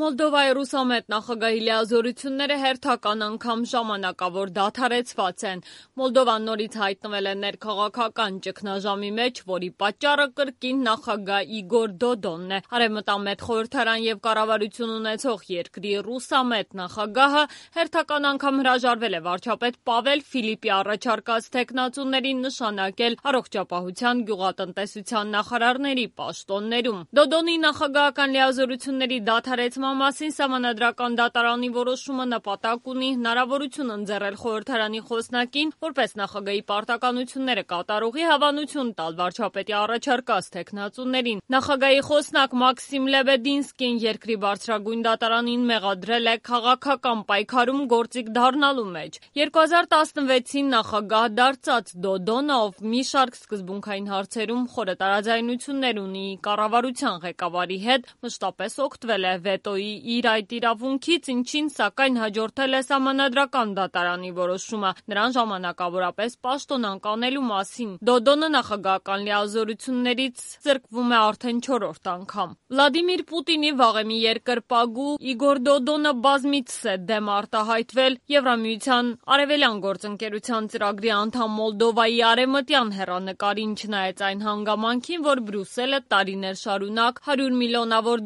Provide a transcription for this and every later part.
Մոլդովայի ռուսամետ նախագահի լիազորությունները հերթական անգամ ժամանակավոր դադարեցված են։ Մոլդովան նորից հայտնվել է ներքաղաքական ճգնաժամի մեջ, որի պատճառը կրկին նախագահ Իգոր Դոդոնն է։ Արևմտամետ խորհրդարան եւ կառավարություն ունեցող երկրի ռուսամետ նախագահը հերթական անգամ հրաժարվել է վարչապետ Պավել Ֆիլիպի առաջարկած թեկնածուներին նշանակել առողջապահության, գյուղատնտեսության նախարարների պաշտոններում։ Դոդոնի նախագահական լիազորությունների դադարեցման մասին Սահմանադրական դատարանի որոշումը նպատակ ունի հնարավորություն ընձեռել խորհրդարանի խոսնակին, որպես նախագահի պարտականությունները կատարողի հավանություն տալ վարչապետի առաջարկած թեկնածուներին։ Նախագահի խոսնակ Մաքսիմ Լեբեդինսկին երկրի բարձրագույն դատարանին մեղադրել է քաղաքական պայքարում գործիք դառնալու մեջ։ 2016-ին նախագահ դարձած Դոդոնը, ով մի շարք սկզբունքային հարցերում խորը տարաձայնություններ ունի կառավարության ղեկավարի հետ, մշտապես օգտվել է վետոյի իր այդ իրավունքից, ինչին սակայն հաջորդել է Սահմանադրական դատարանի որոշումը նրան ժամանակավորապես պաշտոնանկ անելու մասին։ Դոդոնը նախագահական լիազորություններից զրկվում է արդեն 4-րդ անգամ։ Վլադիմիր Պուտինի վաղեմի երկրպագու Իգոր Դոդոնը բազմիցս է դեմ արտահայտվել Եվրամիության արևելյան գործընկերության ծրագրի անդամ Մոլդովայի արևմտյան հեռանկարին, չնայած այն հանգամանքին, որ Բրյուսելը տարիներ շարունակ $100 միլիոնավոր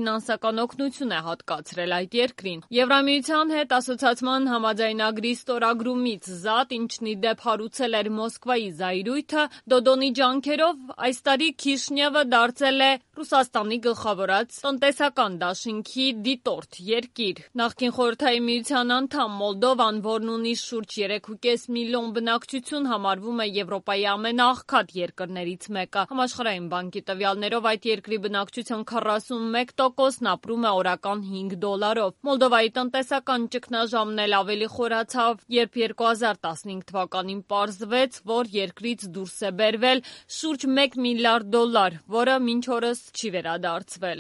ֆինանսական օգնություն է հատկացրել այդ երկրին։ Եվրամիության հետ ասոցացման համաձայնագրի ստորագրումից զատ, ինչն ի դեպ հարուցել էր Մոսկվայի զայրույթը, Դոդոնի ջանքերով այս տարի Քիշնևը դարձել է Ռուսաստանի գլխավորած տնտեսական դաշինքի դիտորդ երկիր։ Նախկին Խորհրդային Միության անդամ Մոլդովան, որն ունի շուրջ 3.5 միլիոն բնակչություն, համարվում է Եվրոպայի ամենաաղքատ երկրներից մեկը։ Համաշխարհային բանկի տվյալներով այդ երկրի բնակչության 41%-ն ապրում է օրական $5-ով։ Մոլդովայի տնտեսական ճգնաժամն էլ ավելի խորացավ, երբ 2015 թվականին պարզվեց, որ երկրից դուրս է բերվել շուրջ $1 միլիարդ, որը մինչ օրս չի վերադարձվել։